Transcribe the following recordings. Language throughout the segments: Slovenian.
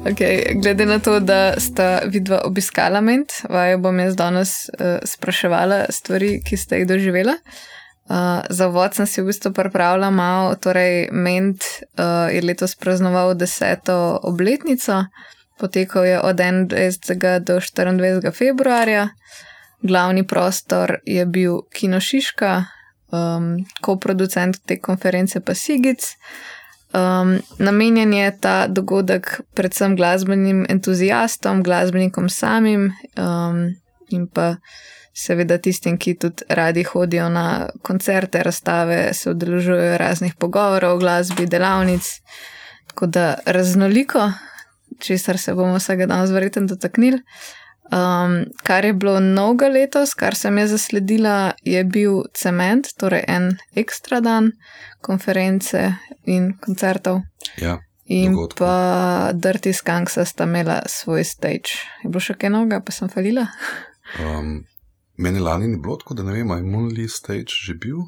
Okay, glede na to, da sta vidva obiskala Ment, vaju bom jaz danes spraševala stvari, ki ste jih doživela. Za uvod sem si v bistvu pripravila malo, torej Ment je letos praznoval 10. obletnico, potekal je od 21. do 24. februarja. Glavni prostor je bil Kino Šiška, koproducent te konference pa Sigic. Namenjen je ta dogodek predvsem glasbenim entuziastom, glasbenikom samim in pa seveda tistim, ki tudi radi hodijo na koncerte, razstave, se udeležujejo raznih pogovorov o glasbi, delavnic, tako da raznoliko, česar se bomo vsega danes verjetno dotaknili. Kar je bilo novega letos, kar sem je zasledila, je bil Cement, torej en ekstra dan konference in koncertov. Ja, in dogodko. Pa Dirty Skunksa sta imela svoj stage. Je bilo še kaj novega, pa sem falila? Meni lani ni bilo tako, da ne vem, je Moonly stage že bil?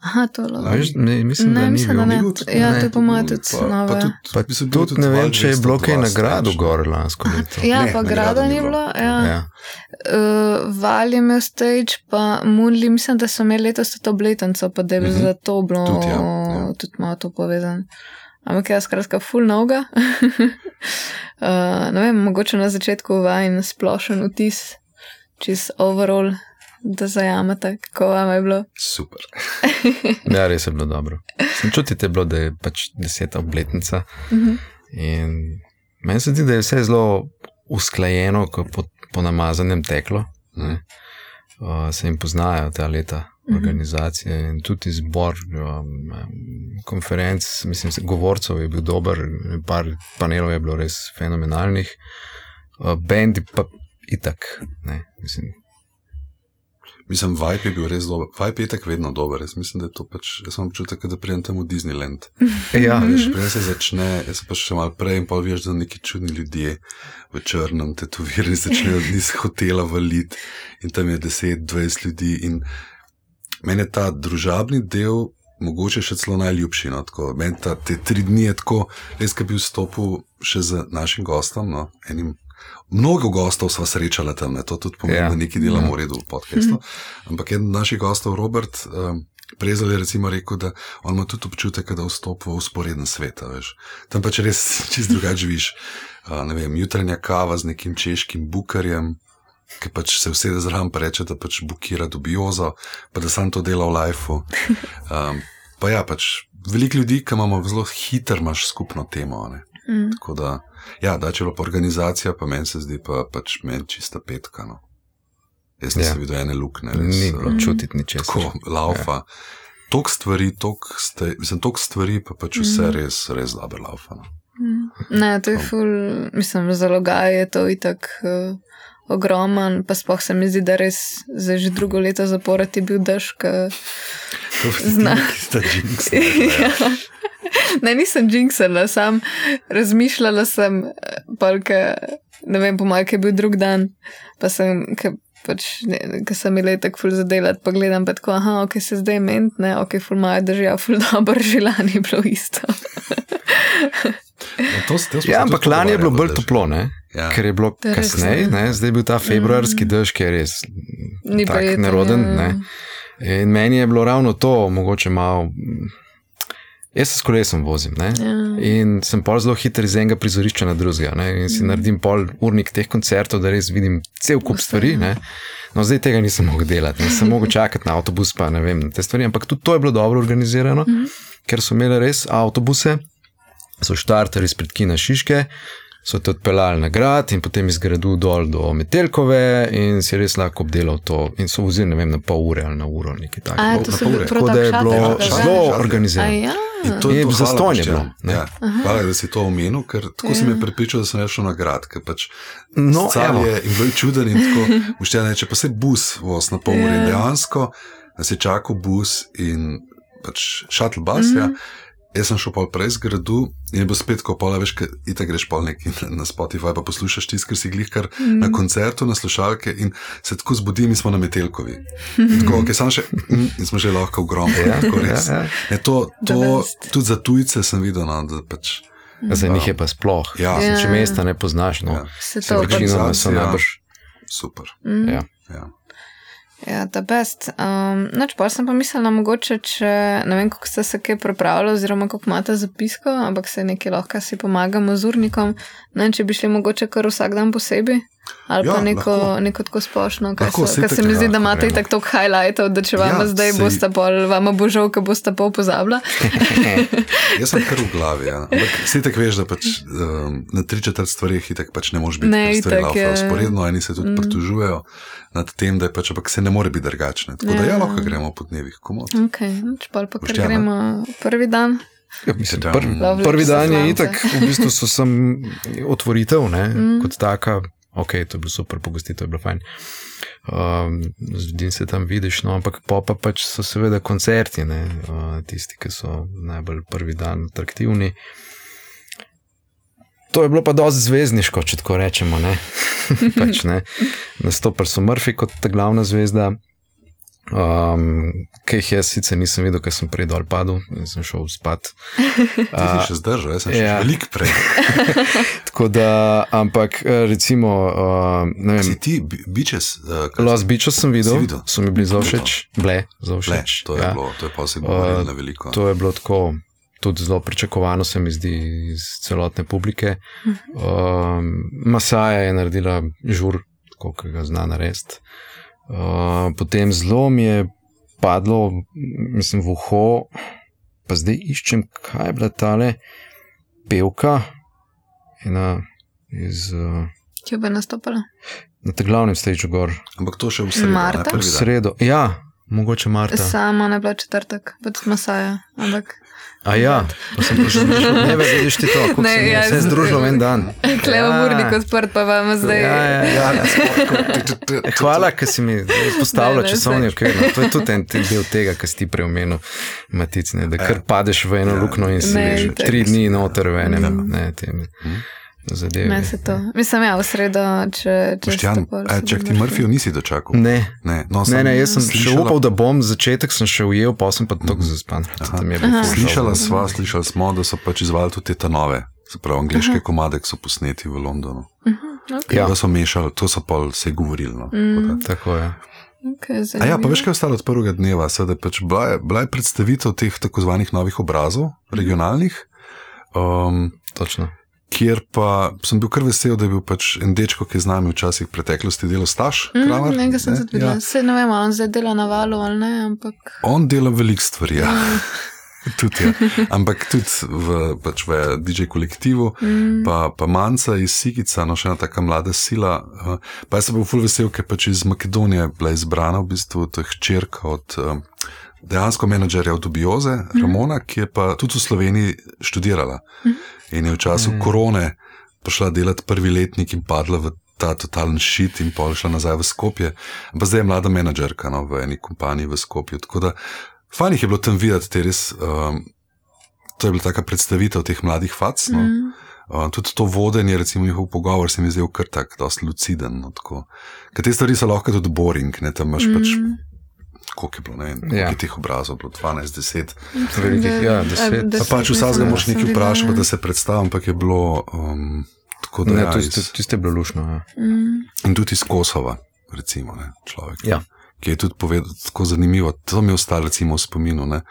Aha, to je Mislim, da ni bil. Ja, to je po mojem tudi nove. Pa tudi ne vem, če je bilo kaj nagrado gor lansko leto. Ja, pa grada ni bilo. Ja. Val je imel stage, pa Moonly, mislim, da so imeli letos tudi obletnico, pa da je za to bilo tudi malo to povezano. Ampak je skratka ful novega. Ne vem, mogoče na začetku vajen splošen vtis, čist overall, da zajamete, kako vam je bilo. Super. Ja, res je bilo dobro. Čutite bilo, da je pač 10. obletnica in meni se zdi, da je vse zelo usklajeno, ko po namazanem teklo. Se jim poznajo ta leta organizacije in tudi izbor konferenc, mislim, govorcev je bil dober, par panelov je bilo res fenomenalnih, bendi pa itak, ne, Mislim, vibe je bil res dober. Vibe je tak vedno dober. Jaz mislim, da je to pač, jaz sem občutek, da prijem tam v Disneyland. Ja. Veš, prej se začne, jaz sem pa še malo prej in pa veš, da neki čudni ljudje v črnem tetovirani začnejo iz hotela valiti in tam je 10-20 ljudi in meni je ta družabni del mogoče še celo najljubši, no, tako. Meni te 3 dni je tako, res, ko bi vstopil še z našim gostom, no, enim. Mnogo gostov sva srečala tam, ne? To tudi pomeni, da nekaj delamo v redu v podcastu. Ampak eden od naših gostov, Robert Prezelj, je recimo rekel, da on ima tudi občutek, da vstopi v usporeden svet, veš. Tam pač res čist drugače živiš. Ne vem, jutranja kava z nekim češkim bukarjem, ki pač se vsede zraven pa reče, da pač bukira dubiozo, pa da sam to dela v lifeu. Pa ja, pač veliko ljudi, ki imamo zelo hiter, imaš skupno temo, ne. Tako da, ja, da če je pa organizacija, pa meni se zdi pa pač meni čista petka, no. Jaz nisem videl ene lukne. Ni bilo čutiti ničesar. Tako, laufa. Toliko stvari, pa pač vse res dobro laufa, no. Ne, to je ful, mislim, zalogaj je to itak ogroman, pa sploh se mi zdi, da res za že drugo leto zapored je bil dež, Ne, nisem jinxala, sam razmišljala sem, ne vem, po mojem, kaj je bil drug dan, pa sem, ko sem imela tako ful zadelat, pa gledam pa tako, ok, se zdaj Ment, ne, ok, ful moja država, ful dobro, že lani je bilo isto. Ja, ampak lani je bilo bolj toplo, ne? Ja. Ker je bilo kasneje, ne? Zdaj je bil ta februarski dež, ki je res tak neroden, ne? In meni je bilo ravno to, mogoče malo. Jaz se s kolesom vozim, ne? In sem pol zelo hiter iz enega prizorišča na drugega, ne? In si naredim pol urnik teh koncertov, da res vidim cel kup stvari, ne? No, zdaj tega nisem mogel delati, ne? Sem mogel čakati na avtobus, pa ne vem, na te stvari, ampak tudi to je bilo dobro organizirano, ker so imeli res avtobuse, so štartali izpred Kina Šiške, so te odpeljali na grad in potem iz gradu dol do Metelkove in si res lahko obdelal to in so vozili, ne vem, na pol ure ali na uro, nekaj tako. Tako da je bilo zelo organizirano. In to je zastonje bilo. Ja. Hvala, da si to omenil, ker tako si me prepričal, da sem šel na grad, ker pač je in bilo je čuden in tako, Boštjan reče, pa se bus voz na pol ure in dejansko nas je čakal bus in pač shuttle bus, ja. Jaz sem šel pol prej z gradu in je bil spet, ko pola, veš, itak greš pol neki na Spotify, pa poslušaš tisto, ker si glihkar na koncertu, na slušalke in se tako zbudim in smo na Metelkovi. Tako, ok, sam še, in smo že lahko v gromu. Tako res. To tudi za tujce sem videl, no, da pač Za njih je pa sploh. Ja. Če mesta ne poznaš, no. Večinoma so najbrž. Super. Ja. Ja, the best. Pa sem pa mislila, mogoče, če ne vem, kako ste se kaj pripravili, oziroma kako imate zapisko, ampak se nekaj lahko si pomagamo z urnikom. Ne vem, če bi šli mogoče kar vsak dan posebej. Ali pa neko tako splošno, kar se mi zdi, da imate i tako highlightov, da če vama zdaj boste bolj, vama bo žal, ka boste pol pozabila. Jaz sem kar v glavi, ja. Ampak si tak veš, da pač na 3/4 stvarih itak pač ne možeš biti stvari laufa usporedno, eni se tudi pritožujejo nad tem, da je pač, ampak se ne more biti drugačne. Tako da lahko gremo po dnevih komod. Ok, čepal pa kar gremo prvi dan. Ja, mislim, prvi dan je itak, v bistvu so sem otvoritev, ne, kot taka. Ok, to je bilo super, pogostitev je bilo fajn. Zdim se tam vidiš, no, ampak pa pač so seveda koncerti, ne, tisti, ki so najbolj prvi dan atraktivni. To je bilo pa dosti zvezdniško, če tako rečemo, ne. Pač, ne. Nastopili so Murphy kot ta glavna zvezda, kaj jih jaz sicer nisem videl, ker sem prej dol padel, sem šel spat. Ti si še zdržal, jaz sem še veliko prej. Tako da, ampak recimo, ne vem. Si ti Beaches? Lost Beaches sem videl, so mi bili zelo všeč. Zelo všeč. To je pa vse govorilo na veliko. To je bilo tako, tudi zelo pričakovano se mi zdi iz celotne publike. Masaja je naredila žur, tako ki ga zna narediti. Potem zelo mi je padlo, mislim, v uho, pa zdaj iščem, kaj je bila tale pevka, ena iz... Kje bi nastopala? Na te glavnem stage gor. Ampak to še v sredo. Marta? V sredo, ja, mogoče Marta. Sama ne bila četrtek, pa tudi Masaja, ampak... A ja, pa sem prišel, ne vidiš ti to, kako se mi vse združilo en dan. Kleva urnik odprt, pa vam zdaj... Hvala, ker si mi postavila časovni okvir. To je tudi en del tega, kar si ti preomenil, Matic, da kar padeš v eno lukno in si 3 dni noter v enem zadevi. Ne se to. Mislim, v sredo, če Boštjan, čak ti Murphyju nisi dočakal? Ne, jaz sem še upal, da bom, začetek sem še ujel, pa sem pa tako zaspan. Slišali smo, da so pač izvali tudi te nove, se pravi, angliške komade, ki so posneti v Londonu. Da so mešali, to so pa vse govorili. Tako je. A ja, pa veš, kaj je ostalo od prvega dneva, da pač bila je predstavitev teh tako zvanih novih obrazov, regionalnih. Točno. Kjer pa sem bil kar vesel, da je bil pač en dečko, ki je z nami včasih v preteklosti delal Staš Kramer. Nekaj sem tudi videla. Se ne vem, on zdaj dela na Valu ali ne, ampak... On dela veliko stvari, ja. Tudi, ja. Ampak tudi v DJ kolektivu, pa Manca iz Sigica, no še ena taka mlada sila. Pa jaz sem bil ful vesel, ker pač iz Makedonije bila izbrana v bistvu to je hčerka od dejansko menadžerja od Dubioze, Ramona, ki je pa tudi v Sloveniji študirala. In je v času korone prišla delati prvi letnik in padla v ta totalen shit in pol šla nazaj v Skopje. Pa zdaj je mlada menadžerka v eni kompaniji v Skopju. Tako da fajn jih je bilo tam videti, te res, to je bila taka predstavitev teh mladih fac. No. Tudi to vodenje, recimo njihov pogovor se mi zdaj kar tak, dosti luciden. No, ker te stvari so lahko tudi boring, ne, tam imaš pač koliko je bilo, ne vem, koliko je teh obrazov, bilo 12, 10. Ja, 10. Pa pač vsazga moraš nekaj vprašati, da se predstavim, ampak je bilo tako da... Ne, tiste je bilo lušno, ja. In tudi iz Kosova, recimo, ne, človek, ki je tudi povedal, tako zanimivo, to mi je ostalo recimo v spominu, ne,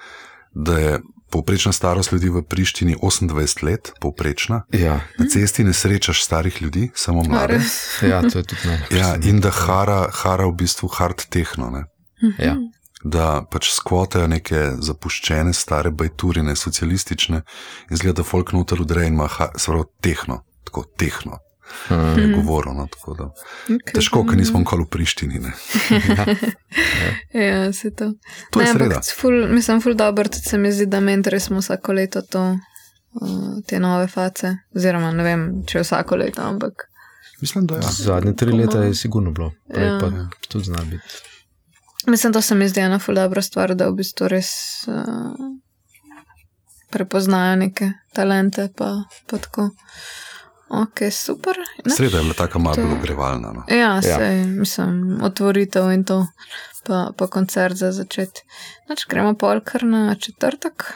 da je povprečna starost ljudi v Prištini 28 let, povprečna. Ja. Na cesti ne srečaš starih ljudi, samo mlade. Ja, to je tudi ne. Ja, in da hara v bistvu hard tehno, ne. Ja. Da pač skvotajo neke zapuščene stare bajturine, socialistične in zgleda, da folk noter udre in ima tehno, tako tehno je govoril, no, tako da težko, ker nismo nikoli v Prištini, ne. Ja, se to. To je sreda. Mislim, ful dobro, tudi se mi zdi, da mentori smo vsako leto te nove face, oziroma ne vem, če vsako leto, ampak mislim, da ja. Zadnje 3 leta je sigurno bilo, prej pa tudi zna biti. Mislim, to se mi zdi ena ful dobra stvar, da v bistvu res prepoznajo neke talente, pa tako. Ok, super. Sreda je bila taka malo bolj ogrevalna. No. Ja, sej, mislim, otvoritev in to, pa koncert za začeti. Gremo pol kar na četrtek.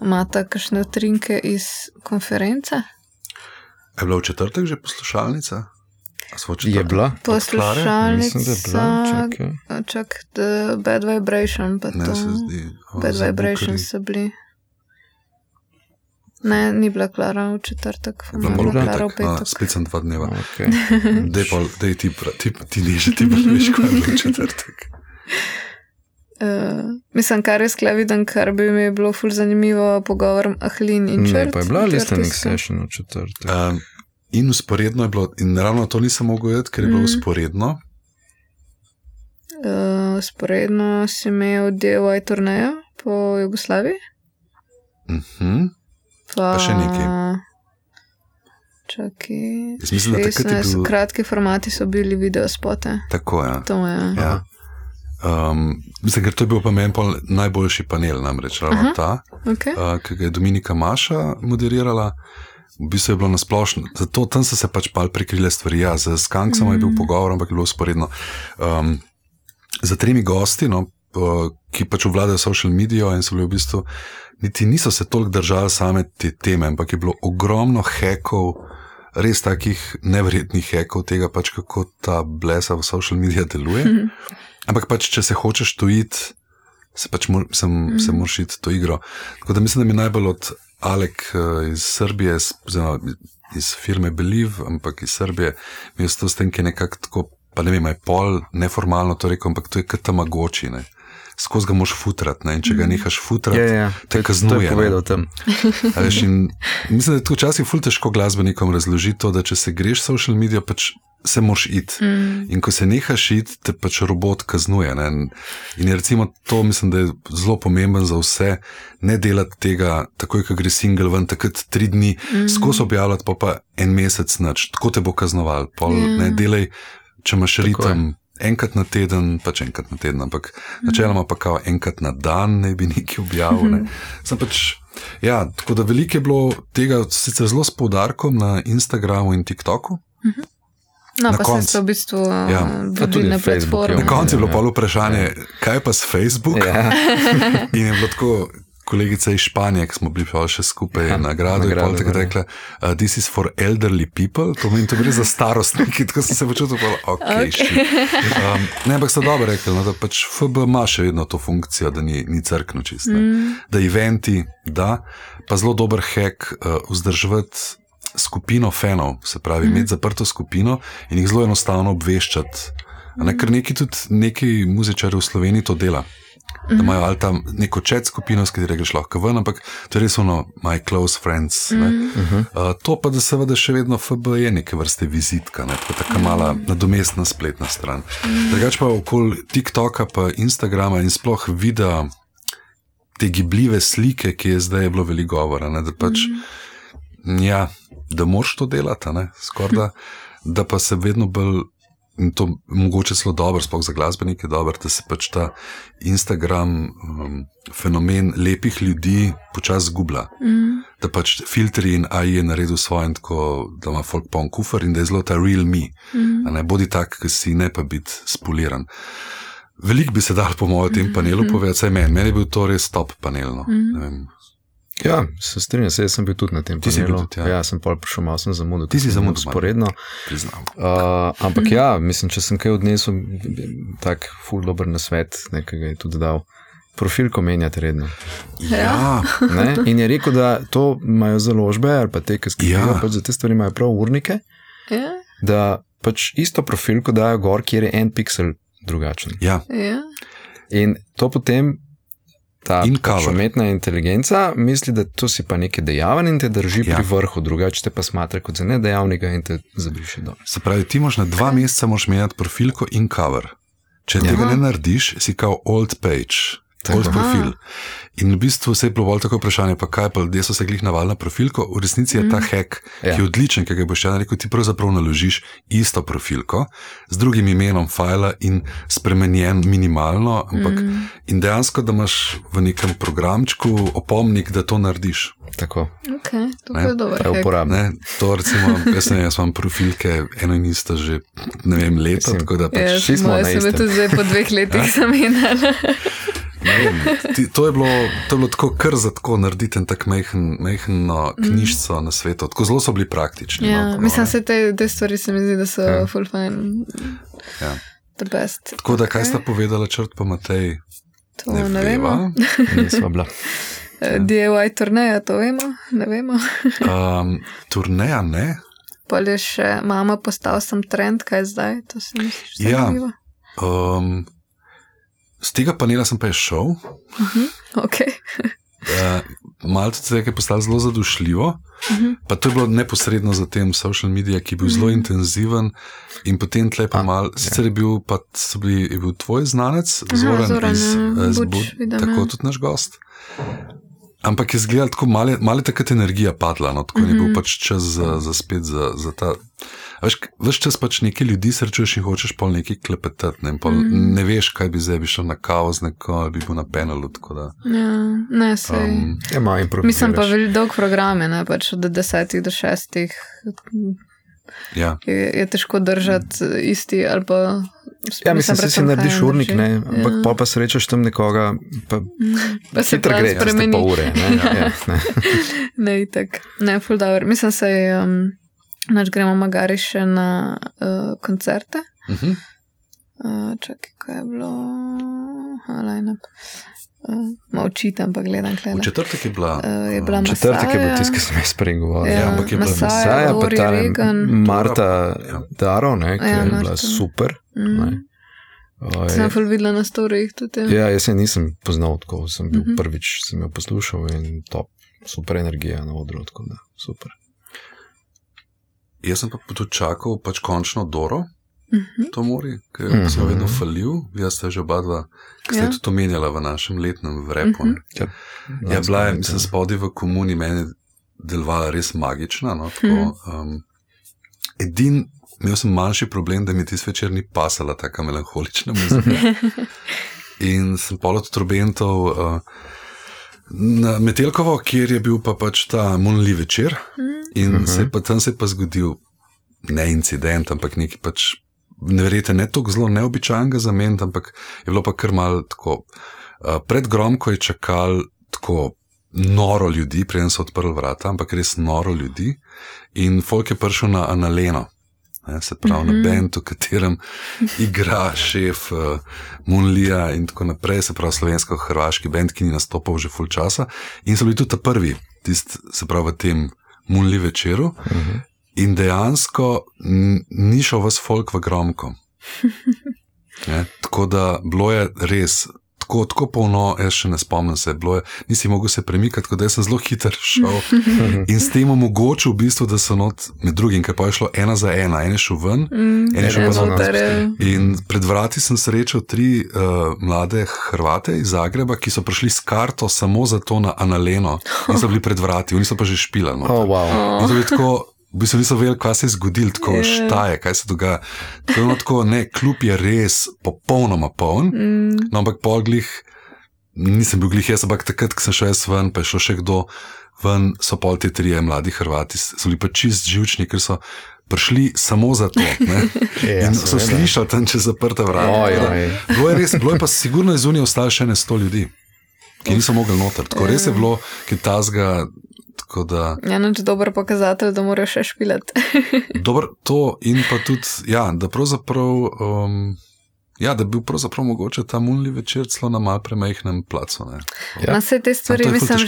Imata kakšne utrinke iz konference? Je bila v četrtek že poslušalnica? Je bila? Poslušalnica, čak The Bad Vibration, pa Ne, to. se zdi. Bad Vibration so bili. Ne, ni bila Klara v četrtek. Bila Bila bila Klara v petek. petek. Spet sem 2 dneva. Okay. Dej ti niže, ti bolj veš, kaj je bilo v četrtek. Mislim, kar je sklaviden, kar bi mi bilo ful zanimivo, pogovor Ahlin in Črt. Ne, pa je bila listening session v četrtek. In usporedno je bilo, in ravno to nisem mogel jedeti, ker je bilo usporedno. Usporedno si imel DIY turnejo po Jugoslaviji. Pa še nekaj. Čakaj. Jaz mislim, da takrat je bil... Kratki formati so bili videospote. Tako, ja. To je. Ja. Mislim, ker to je bil pa meni najboljši panel, namreč ravno ta, Okay. Ki ga je Dominika Maša moderirala. V bistvu je bilo nasplošno, zato tam so se pač pal prikrile stvari. Ja, z Skanksom je bil pogovor, ampak je bilo usporedno. Za 3 gosti, no, ki pač obvladajo social media in so bili v bistvu, niti niso se toliko držali same te teme, ampak je bilo ogromno hekov, res takih neverjetnih hekov tega pač, kako ta blesa v social media deluje. Ampak pač, če se hočeš tojiti, se pač se moraš iti to igro. Tako da mislim, da mi najbolj od Alek iz Srbije, iz firme Believe, ampak iz Srbije, mi je to s tem, ki je nekako tako, pa ne vem, je pol neformalno to rekel, ampak to je kot tamagoči, ne. Skozi ga moš futrati, ne, in če ga nehaš futrati, te kaznuje. To je povedal tam. Mislim, da je to včasih ful težko glasbenikom razložiti to, da če se greš social media, pač se moš iti. In ko se nehaš iti, te pač robot kaznuje. Ne? In je recimo to, mislim, da je zelo pomemben za vse, ne delati tega takoj, ko gre single ven, takrat 3 dni skozi objavljati, pa 1 mesec nič. Tako te bo kaznoval. Ne delaj, če imaš ritem enkrat na teden, pač enkrat na teden, ampak načeloma pa kao enkrat na dan ne bi nekaj objavil. Ne? Sem pač, ja, tako da veliko je bilo tega, sicer zelo s poudarkom na Instagramu in TikToku. No, pa se so v bistvu vodili na platformi. Na koncu je bilo pol vprašanje, kaj pa s Facebook? In je bilo tako, kolegica iz Španije, ki smo bili pa še skupaj na gradu, je pol tako rekla, this is for elderly people, to gre za starostniki, tako sem se počutil, ne, ampak so dobro rekli, no, da pač FB ima še vedno to funkcijo, da ni crkno čist, da eventi, da, pa zelo dober hack vzdrževati skupino fanov, se pravi, imeti zaprto skupino in jih zelo enostavno obveščati. Ker neki muzičari v Sloveniji to dela. Da imajo ali tam neko chat skupino, s katero greš lahko ven, ampak to je res ono my close friends. To pa, da seveda še vedno FB je neke vrste vizitka, taka mala nadomestna spletna stran. Drugače pa okoli TikToka pa Instagrama in sploh videa te gibljive slike, ki je zdaj bilo veliko govora, da pač ja, da moraš to delati, skorda, da pa se vedno bolj, in to mogoče zelo dobro, sploh za glasbenike dobro, da se pač ta Instagram fenomen lepih ljudi počasi zgublja. Da pač filtri in AI je naredil svoje, tako da ima folk poln kufer in da je zelo ta real me. Ne bodi tak, ki si, ne pa biti spoliran. Veliko bi se dal po mojem tem panelu povedati, saj meni je bil to res top panel, no. Ne vem. Ja, se strinjam, jaz sem bil tudi na tem panelu. Ja, sem pol prišel, malo sem zamudil. Ti si zamudil sporedno. Priznam. Ampak ja, mislim, če sem kaj odnesel, tak ful dober nasvet, nekaj je tudi dal. Profilko menjati redno. Ja. Ne? In je rekel, da to imajo založbe, ali pa te, ki skrivajo, pač za te stvari imajo prav urnike, da pač isto profilko dajo gor, kjer je 1 piksel drugačen. Ja. In to potem ta pač umetna inteligenca misli, da to si pa nekaj dejaven in te drži pri vrhu, drugače te pa smatra kot za nedejavnega in te zabriši dol. Se pravi, ti moš na 2 meseca moš menjati profilko in cover. Če tega ne narediš, si kao old page, old profil. In v bistvu se je bilo bolj tako vprašanje, pa kaj pa ljudje so se glih navali na profilko, v resnici je ta hack, ki je odličen, ki ga boš rekel, ti pravzaprav naložiš isto profilko z drugim imenom fajla in spremenjen minimalno, ampak in dejansko, da imaš v nekem programčku opomnik, da to narediš. Tako. Ok, to je dober hack. To recimo, jaz imam profilke eno in isto že, ne vem, leto, tako da pač moja se me tudi zdaj po 2 letih zamenjala. To je bilo tako kar za tako narediti en tak mehno knjižco na svetu. Tako zelo so bili praktični. Ja, mislim, se te stvari se mi zdi, da so full fine. Ja. The best. Tako da, kaj sta povedala Črt pa Matej? To ne vemo. Nismo bila. DIY turneja, to vemo? Ne vemo. Turneja ne. Pa je še mama postal sem trend, kaj zdaj? To se mi zdi zanimivo. Z tega panela sem pa je šel. Ok. Malo tudi zdaj je postalo zelo zadošljivo. Pa to je bilo neposredno za tem social media, ki je bil zelo intenziven in potem tle pa malo, sicer je bil tvoj znanec, Zoran iz Buč, tako tudi naš gost. Ampak je zgledal tako, malo takrat energija padla, no, tako je bil pač čas za spet za ta. Veš čas pač nekaj ljudi srečuješ in hočeš pol nekaj klepetati, ne veš, kaj bi zdaj, bi šel na kavo z neko, ali bi bil na penalu, tako da. Ja, ne, sej. Mislim pa dolg program je, ne, pač od 10 do 6. Ja. Je težko držati isti ali pa. Ja, mislim, da si narediš urnik, ne, ampak pa srečaš tam nekoga, pa se plan spremeni. Pa ure, ne. Ne, itak. Ne, ful dobro. Mislim, se gremo magari še na koncerte. Čakaj, kaj je bilo? Line-up. Molčitam, pa gledam klele. V četrtek je bila Masaja. Četrtek je bil tisti, ki sem jaz pregovoril. Ja, ampak je bila Masaja, pa ta Marta Daro, ne, ki je bila Marta. super. Sem ful videla na storijih tudi. Ja, jaz se nisem poznal tako, sem bil prvič, sem jo poslušal in top, super energija na odru, tako da, super. Jaz sem pa tudi čakal pač končno Doro, to mori, ker sem vedno falil, jaz ste že oba dva, ki ste tudi omenjala v našem letnem vrepu. Ja, bila je, mislim, spodaj v komuni meni delovala res magična, no, tako, imel sem manjši problem, da mi tisti večer ni pasala taka melanholična muzika. In sem polo tudi trobentov na Metelkovo, kjer je bil pa pač ta Monli večer in tam se je pa zgodil ne incident, ampak nekaj pač neverjete, ne toliko zelo neobičajnega za meni, ampak je bilo pa kar malo tako, pred Gromko je čakal tako noro ljudi, preden so odprli vrata, ampak res noro ljudi in folk je prišel na Analeno. Se pravi na band, v katerem igra šef Monlija in tako naprej, se pravi slovensko-hrvaški band, ki ni nastopal že ful časa in so bili tudi ta prvi, se pravi v tem Monli večeru in dejansko ni šel vas folk v Gromko. Tako da bilo je res tako polno, jaz še ne spomnim se, nisi mogel se premikati, tako da jaz sem zelo hiter šel in s tem omogočil v bistvu, da so med drugim, ker pa je šlo 1 za 1, en je šel ven, en je šel pa not. In pred vrati sem srečal 3 mlade Hrvate iz Zagreba, ki so prišli s karto samo za to na Analeno in so bili pred vrati, oni so pa že špilali. In to je tako, v bistvu niso vedeli, kaj se je zgodilo, tako štaje, kaj se dogaja. Tako, ne, klub je res popolnoma poln, no, ampak nisem bil glih jaz, ampak takrat, ko sem šel jaz ven, pa je šel še kdo ven, so pol te 3 mladi Hrvati, so bili pa čist živčni, ker so prišli samo za to, ne, in so slišali tam čez zaprta vrata. Bilo je pa sigurno iz Unije ostalo še 100 ljudi, ki niso mogli noter, tako res je bilo, ki tazga. Ja, noč dober pokazatelj, da moraš še špilati. Dobro, to in pa tudi, ja, da pravzaprav, da bi bil pravzaprav mogoče ta Monli večer celo na mal premajhnem placu. Na vse te stvari, mislim,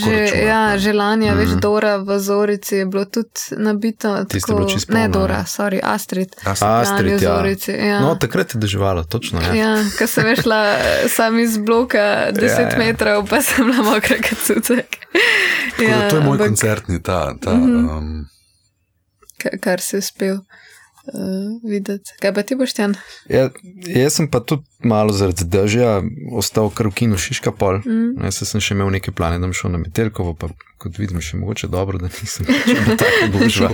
že lani, veš, Dora v Zorici je bilo tudi nabito. Tiste bilo čisto polno. Ne Dora, Astrid. Astrid, ja. No, takrat je deževalo, točno, ja. Ja, ko sem šla sam iz bloka 10 metrov, pa sem bila mokra kot cucek. To je moj koncertni kar si uspel videti. Kaj pa ti, Boštjan? Ja, jaz sem pa tudi malo zaradi dežja ostal kar v kinu Šiška pol. Jaz sem še imel neke plane, da bom šel na Metelkovo, pa kot vidim, še mogoče dobro, da nisem tako božva.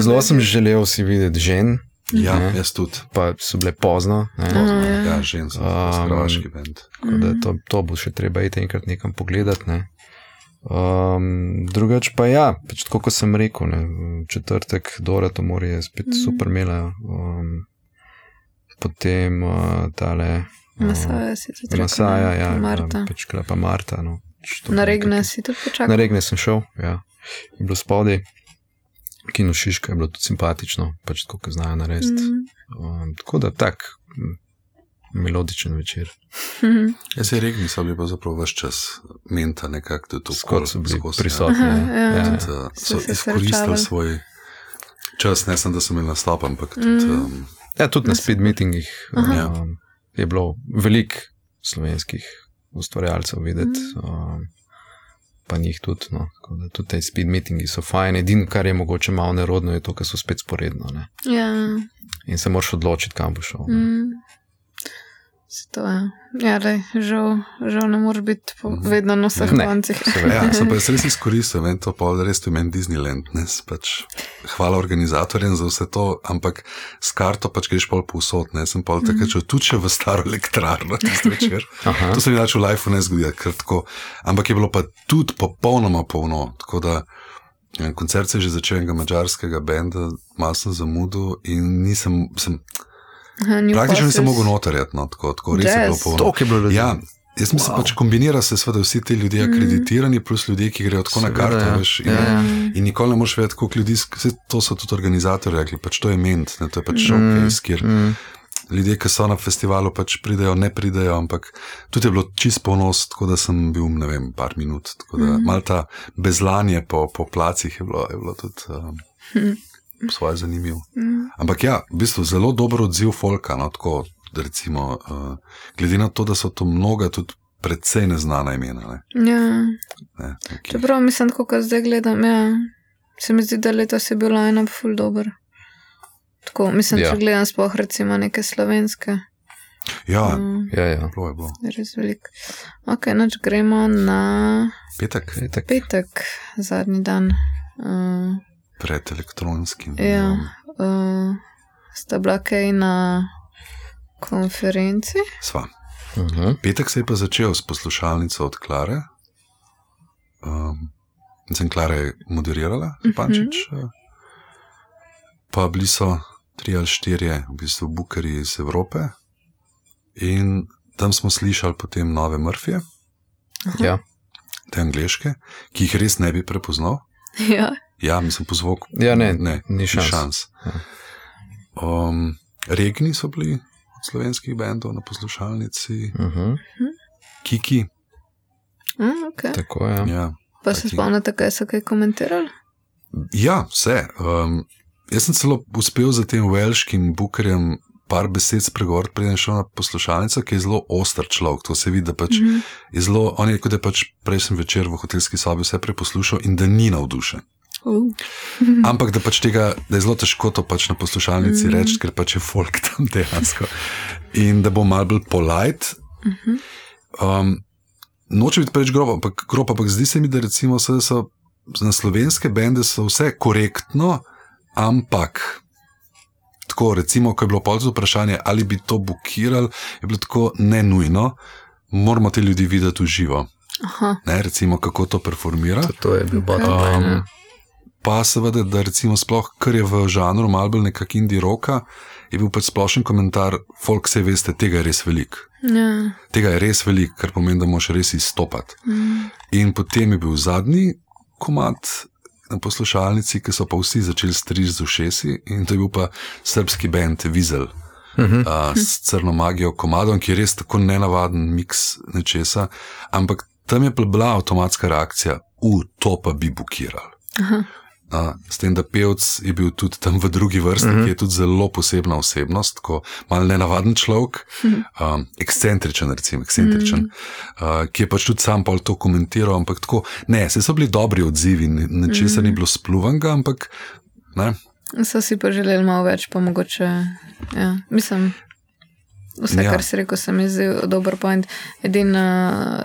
Zelo sem želel si videti žen. Ja, jaz tudi. Pa so bile pozno. Ja, žen so, hrvaški band. Tako da to bo še treba iti enkrat nekam pogledati, ne. Drugač pa ja, pač tako, ko sem rekel, ne, četrtek Dora to morje je spet super imela, potem tale Masaja si tudi rekel. Masaja, ja. Marta. Pač klepa Marta. No. Na Regne si tudi počakal? Na Regne sem šel, ja. Je bilo spodaj. Kino Šiška je bilo tudi simpatično, pač tako, ko znajo narediti. Tako da tak melodičen večer. Jaz se Regni so bili pa zapravo vaš čas menta nekako, da to skoro so bili prisotni. So izkoristili svoj čas, ne sem, da so imeli nastop, ampak tudi... tudi na speed meetingih je bilo veliko slovenskih ustvarjalcev videti, pa njih tudi, no. Tudi te speed meetingi so fajn, edino, kar je mogoče malo nerodno, je to, ker so spet sporedno, ne. Ja. In se moraš odločiti, kam bo šel. To je. Ja, žal ne moraš biti vedno na vseh koncih. Ja, sem pa res izkoristil, to pa res tu meni Disneyland, ne, pač hvala organizatorjem za vse to, ampak s karto pač greš pol povsod, ne, sem pol takrat šel tudi še v staro elektrarno tisti večer. To se mi dač v lifeu ne zgodi, kratko, ampak je bilo pa tudi popolnoma polno, tako da koncert se je že začel enega madžarskega benda, malo sem zamudil in praktično nisem mogel notarjati, no, tako res je bilo polno. Toliko je bilo ljudi. Ja, jaz mislim, pač kombinira se seveda vsi ti ljudje akreditirani, plus ljudje, ki grejo tako na karto, veš, in nikoli ne moraš vedeti, koliko ljudi, to so tudi organizatorji rekli, pač to je ment, ne, to je pač showcase, kjer ljudje, ki so na festivalu, pač pridejo, ne pridejo, ampak tudi je bilo čist ponos, tako da sem bil, ne vem, par minut, tako da malo ta bezlanje po placih je bilo tudi... svoje zanimivo. Ampak ja, v bistvu zelo dober odziv folka, no, tako, da recimo, glede na to, da so to mnoga tudi predvsej neznana imena, ne. Ja. Čeprav mislim, tako, zdaj gledam, se mi zdi, da letos je bilo line-up ful dober. Tako, mislim, če gledam sploh recimo neke slovenske. Ja. Bilo je bilo. Res veliko. Ok, noč gremo na... Petek, zadnji dan. Pred elektronskim. Ja, sta bila kaj na konferenci? Sva. Petek se je pa začel s poslušalnico od Klare. Klara je moderirala, Pančič. Pa bili so 3 ali 4 v bistvu bookerji iz Evrope in tam smo slišali potem nove Murphyje. Ja. Te angleške, ki jih res ne bi prepoznal. Ja. Ja, mislim po zvoku. Ja, ni šans. Regni so bili od slovenskih bendov na poslušalnici. Kiki. Okay. Tako je. Ja, pa se spomnite, kaj so kaj komentirali? Ja, vse. Jaz sem celo uspel za tem velškim bookerjem par besed spregovoriti, preden šel na poslušalnico, ki je zelo oster človek. To se vidi, da pač je zelo, on je kot je pač prejšnji večer v hotelski sobi vse preposlušal in da ni navdušen. Ampak da pač tega, da je zelo težko to pač na poslušalnici reči, ker pač je folk tam dejansko. In da bo malo bolj polite. Noče biti preč grob, ampak zdi se mi, da recimo so na slovenske bende so vse korektno, ampak tako recimo, ko je bilo polzo vprašanje, ali bi to bukirali, je bilo tako nenujno, moramo te ljudi videti v živo. Ne, recimo, kako to performira. To je bil bottom line. Pa seveda, da recimo sploh, kar je v žanru malo bolj nekak indie rocka, je bil pač splošen komentar, folk se veste, tega je res veliko. Ja. Tega je res veliko, kar pomeni, da moraš res izstopati. In potem je bil zadnji komad na poslušalnici, ki so pa vsi začeli striž z ušesi in to je bil pa srbski band Vizel s Crno magijo komadom, ki je res tako nenavaden miks nečesa, ampak tam je bila avtomatska reakcija, to pa bi bukirali. S tem, da pevc je bil tudi tam v drugi vrsti, ki je tudi zelo posebna osebnost, tako malo nenavaden človek, ekscentričen, ki je pač tudi sam pol to komentiral, ampak tako, ne, se so bili dobri odzivi, nečesa ni bilo spluvanga, ampak, ne. So si pa želeli malo več, pa mogoče, ja, mislim... Vse, kar si rekel, se mi zdi dober point. Edino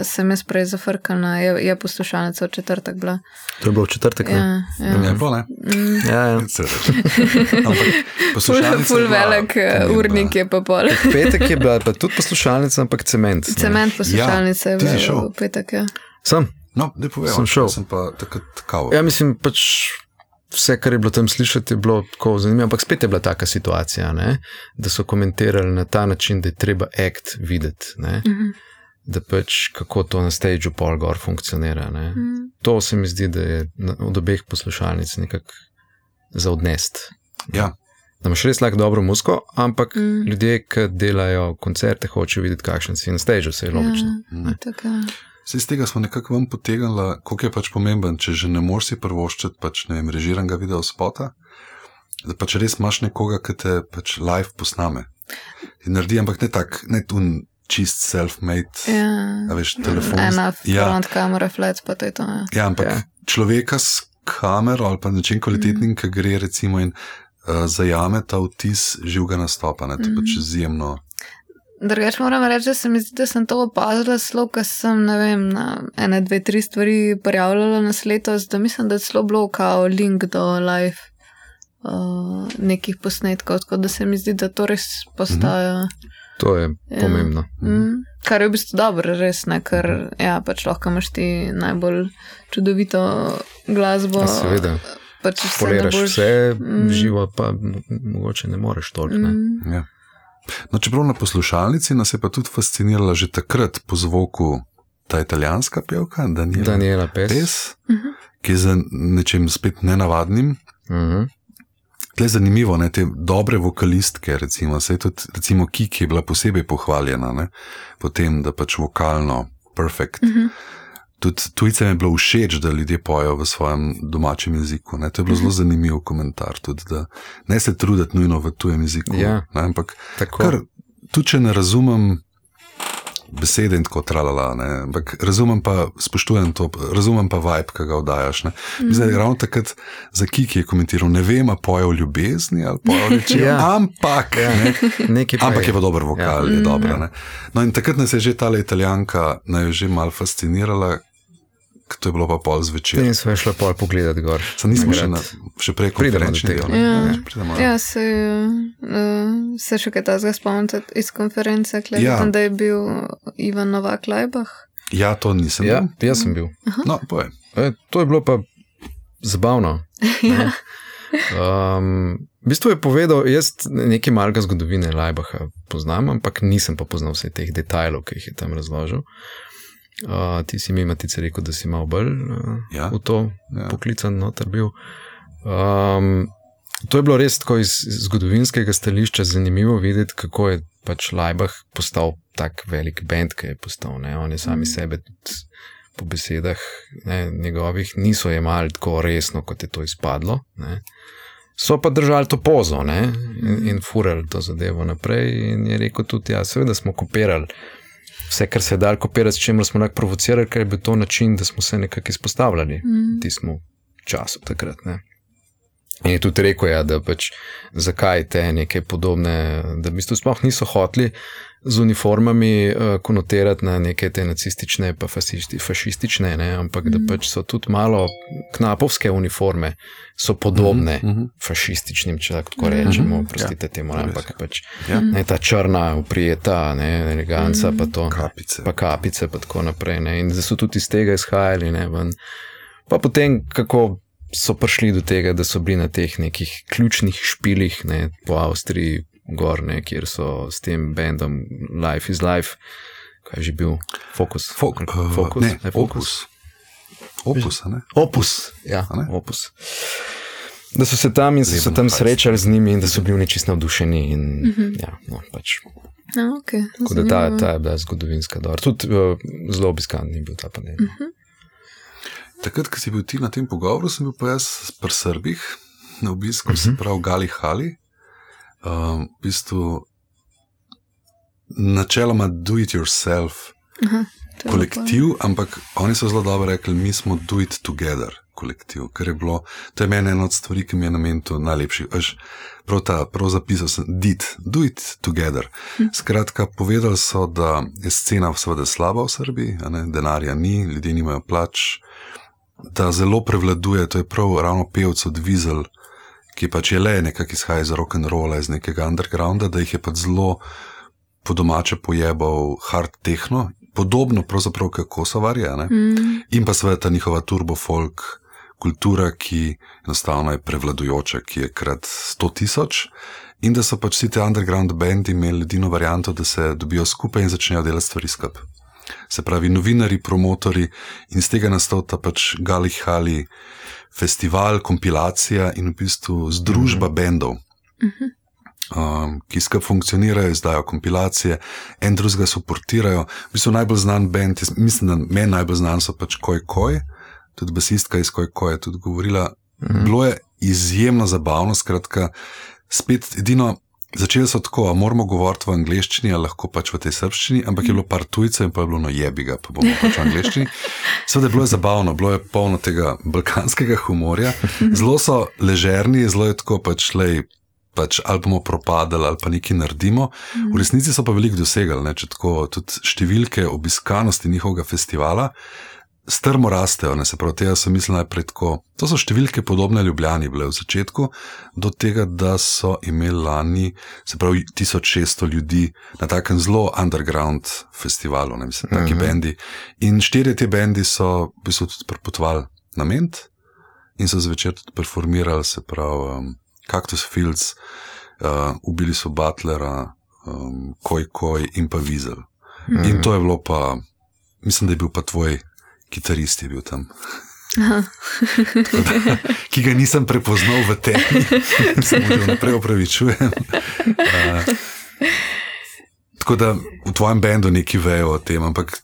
sem jaz prej zafrkana, je poslušalnica v četrtek bila. To je bilo v četrtek, ne? Ja. Ne bilo, ne? Ja. Ful velik urnik je pa pol. Petek je bila pa tudi poslušalnica, ampak cement. Cement poslušalnica je bila v petek, ja. Sem. No, da povedal, sem šel. Sem pa takrat kao. Ja, mislim, pač vse, kar je bilo tam slišati, je bilo tako zanimivo, ampak spet je bila taka situacija, ne? Da so komentirali na ta način, da je treba act videti, ne? Da pač kako to na stageu pol gor funkcionira. Ne? To se mi zdi, da je od obeh poslušalnic nekako za odnest. Ja. Da imaš res lahko dobro muziko, ampak ljudje, ki delajo koncerte, hočejo videti, kakšen si na stageu, se je logično. Iz tega smo nekako vam potegnili, koliko je pač pomemben, če že ne moreš si prvoščiti pač, ne vem, režiranega video spota, da pač res imaš nekoga, ki te pač live posname. In naredi, ampak ne tak, ne tun čist self-made, a veš, telefon. Ena front kamera, flat, pa to je to. Ja, ampak človeka s kamero ali pa način kvalitetnim, ki gre recimo in zajame ta vtis živega nastopa, ne, to pač izjemno. Drugač moram reči, da se mi zdi, da sem to opazila slo, ko sem, ne vem, na 1, 2, 3 stvari prijavljala nas letos, da mislim, da je celo bilo kao link do live nekih posnetkov, tako da se mi zdi, da to res postaja. To je pomembno. Kar je v bistvu dobro, res ne, ker pač lahko imaš ti najbolj čudovito glasbo. Seveda. Pač poliraš vse živo, pa mogoče ne moreš toliko, ne. Ja. No, čeprav na poslušalnici nas je pa tudi fascinirala že takrat po zvoku ta italijanska pevka, Daniela Pes, ki je za nečem spet nenavadnim. Tle je zanimivo, ne, te dobre vokalistke, recimo, saj tudi, recimo Kiki je bila posebej pohvaljena, ne, potem, da pač vokalno perfect. Tudi tujcem je bilo všeč, da ljudje pojejo v svojem domačem jeziku. Ne? To je bilo zelo zanimiv komentar. Tudi, da ne se truditi nujno v tujem jeziku. Ja, ne? Ampak kar, tudi če ne razumem besede in tako tralala, ne? Ampak razumem pa, spoštujem to, razumem pa vibe, ki ga oddajaš. Mislim, da ravno takrat za Kiki je komentiral, ne vem, a poje v ljubezni ali poje v reči, ampak ampak je pa dober vokal, je dobro. Ne? No in takrat nas je že tale Italijanka že malo fascinirala, to je bilo pa pol zvečer. In smo šli pol pogledati gor. Nismo še prej konferenčni. Se še kaj tazga spomnite iz konference, tam, da je bil Ivan Novak Lajbah? Ja, to nisem bil. Ja, jaz sem bil. No, povej. To je bilo pa zabavno. V bistvu je povedal, jaz nekaj malega zgodovine Lajbaha poznam, ampak nisem pa poznal vse teh detajlov, ki jih je tam razložil. Ti si mi Matice rekel, da si malo bolj v to poklican noter bil. To je bilo res tako iz zgodovinskega stališča zanimivo videti, kako je pač Lajbah postal tak velik band, ki je postal. Ne? On je sami sebe tudi po besedah njegovih niso jemali tako resno, kot je to izpadlo. Ne? So pa držali to pozo, ne? In furali to zadevo naprej in je rekel tudi, seveda smo kopirali vse, kar se je dal kopirati, s čemer smo nekako provocirali, ker je bil to način, da smo se nekako izpostavljali v tistem času takrat. Ne? In je tudi rekel, da pač zakaj te neke podobne, da v bistvu sploh niso hoteli z uniformami konotirati na neke te nacistične pa fašistične, ne? Ampak da pač so tudi malo knapovske uniforme so podobne fašističnim, če tako rečemo, prostite temu, ampak pač ta črna, uprijeta, eleganca, pa to, pa kapice, pa tako naprej. Ne? In da so tudi iz tega izhajali, ne? Pa potem, kako so prišli do tega, da so bili na teh nekih ključnih špilih, ne, po Avstriji gor, ne, kjer so s tem bandom Life is Life, kaj je že bil? Focus? Opus, ne? Opus, ja, Opus. Da so se tam in so se tam srečali z njimi in da so bili čisto navdušeni in pač. Tako da ta je bila zgodovinska dobra. Tudi zelo obiskan je bil ta panel. Takrat, ko si bil ti na tem pogovoru, sem bil pa jaz pri Srbih na obisku, se pravi Gali Hali. V bistvu načeloma do it yourself kolektiv, ampak oni so zelo dobro rekli, mi smo do it together kolektiv, ker je bilo, to je meni ena od stvari, ki mi je namenil to najlepši, prav zapisal sem, do it together. Skratka, povedali so, da je scena seveda slaba v Srbiji, denarja ni, ljudje nimajo plač, da zelo prevladuje, to je prav ravno pevc od Vizel, ki pač je le nekak izhaja iz rock'n'rolla, iz nekega undergrounda, da jih je pač zelo po domače pojebal hard techno, podobno pravzaprav kot Kosovarje, in pa seveda ta njihova turbo folk kultura, ki enostavno je prevladujoča, ki je krat 100,000 in da so pač vsi te underground bandi imeli edino varianto, da se dobijo skupaj in začnejo delati stvari skupaj. Se pravi, novinari, promotori in z tega nastavta pač Gali Hali festival, kompilacija in v bistvu združba bendov, ki skupaj funkcionirajo, izdajo kompilacije, en drugega suportirajo. V bistvu najbolj znan bend, mislim, da meni najbolj znan so pač Koi Koi, tudi basistka iz Koi Koi je tudi govorila. Bilo je izjemno zabavno, skratka, spet edino, začeli so tako, a moramo govoriti v angleščini, a lahko pač v tej srbščini, ampak je bilo par tujcev in pa je bilo no jebiga, pa bomo pač v angleščini. Seveda je bilo zabavno, bilo je polno tega balkanskega humorja, zelo so ležerni, zelo je tako pač ali bomo propadali ali pa nekaj naredimo. V resnici so pa veliko dosegali, ne, če tako tudi številke obiskanosti njihovega festivala strmo rastejo, ne, se pravi, tega sem mislil najprej tako. To so številke podobne Ljubljani bile v začetku, do tega, da so imeli lani, se pravi, 1600 ljudi na takem zelo underground festivalu, ne, mislim, taki bendi. In 4 te bendi so v bistvu tudi prepotovali na Ment in so zvečer tudi performirali, se pravi, Cactus Fields, ubili so Butlera, Koi Koi in pa Weasel. In to je bilo pa, mislim, da je bil pa tvoj kitarist je bil tam. Da, ki ga nisem prepoznal v temi, se mu že naprej opravičujem. Tako da v tvojem bendu neki vejo o tem, ampak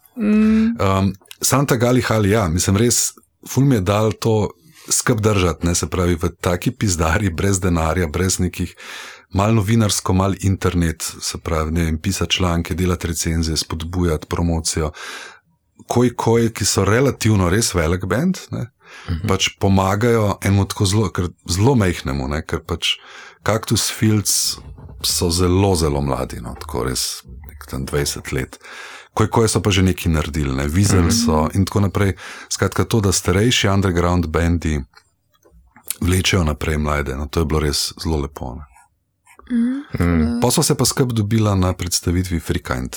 Santa Gali Hali, ja, mislim res, ful mi je dal to skup držati, ne, se pravi, v taki pizdari, brez denarja, brez nekih, malo novinarsko, malo internet, se pravi, ne vem, pisati članke, delati recenzije, spodbujati promocijo. Koi Koi, ki so relativno res velik band, ne, pač pomagajo enemu tako zelo mejhnemu, ne, ker pač Cactus Fields so zelo, zelo mladi, no, tako res tam 20 let. Koi Koi so pa že nekaj naredili, ne, Weasel so in tako naprej. Skratka to, da starejši underground bandi vlečejo naprej mlade, no, to je bilo res zelo lepo. Pa so se pa skup dobila na predstavitvi Freekind.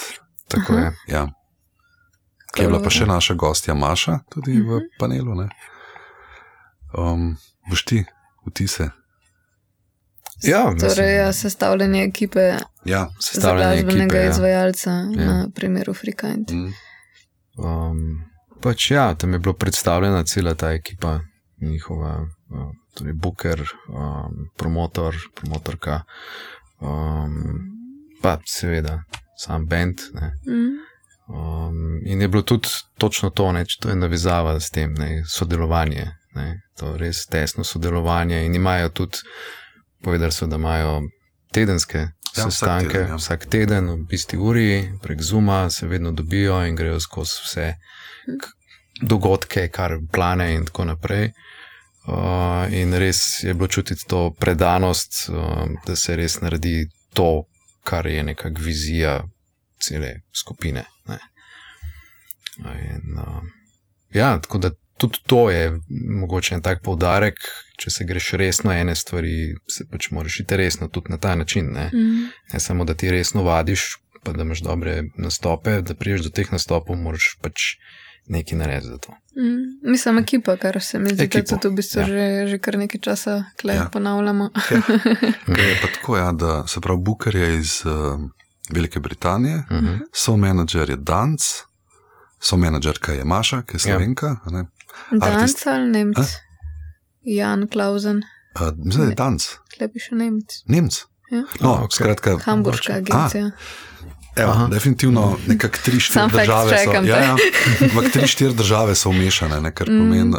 Tako je. Ja. Ki je bila pa še naša gostja Maša, tudi v panelu, ne. Boš ti vtise? Ja, torej sestavljanje ekipe za glasbenega izvajalca na primeru Freekind. Pač ja, tam je bilo predstavljena cela ta ekipa, njihova, torej booker, promotorka, pa seveda sam band, ne. In je bilo tudi točno to, ne, to je navezava s tem, ne, sodelovanje, ne, to res tesno sodelovanje in imajo tudi, povedali so, da imajo tedenske sestanke, vsak teden v isti uri, prek Zooma se vedno dobijo in grejo skozi vse dogodke, kar plane in tako naprej. In res je bilo čutiti to predanost, da se res naredi to, kar je nekak vizija cele skupine. Ne. In, ja, tako da tudi to je mogoče en tak poudarek, če se greš resno ene stvari, se pač moraš iti resno tudi na ta način. Ne, ne samo, da ti resno vadiš, pa da imaš dobre nastope, da priješ do teh nastopov, moraš pač nekaj narediti za to. Mislim, ekipa, kar se mi zdi, da tudi v bistvu že kar nekaj časa ponavljamo. Je pa tako, ja, da se pravi, booker je iz Velike Britanije, so-menadžer je Danc, so-menadžerka je Maša, ki je Slovenka. Danc ali Nemc? Jan Klausen. Mislim, da je Danc. Klej piše Nemc. Nemc? Ja. No, skratka. Hamburška agencija. Evo, definitivno nekak 3-4 države so. Ampak 3-4 države so vmešane, ne, kar pomeni.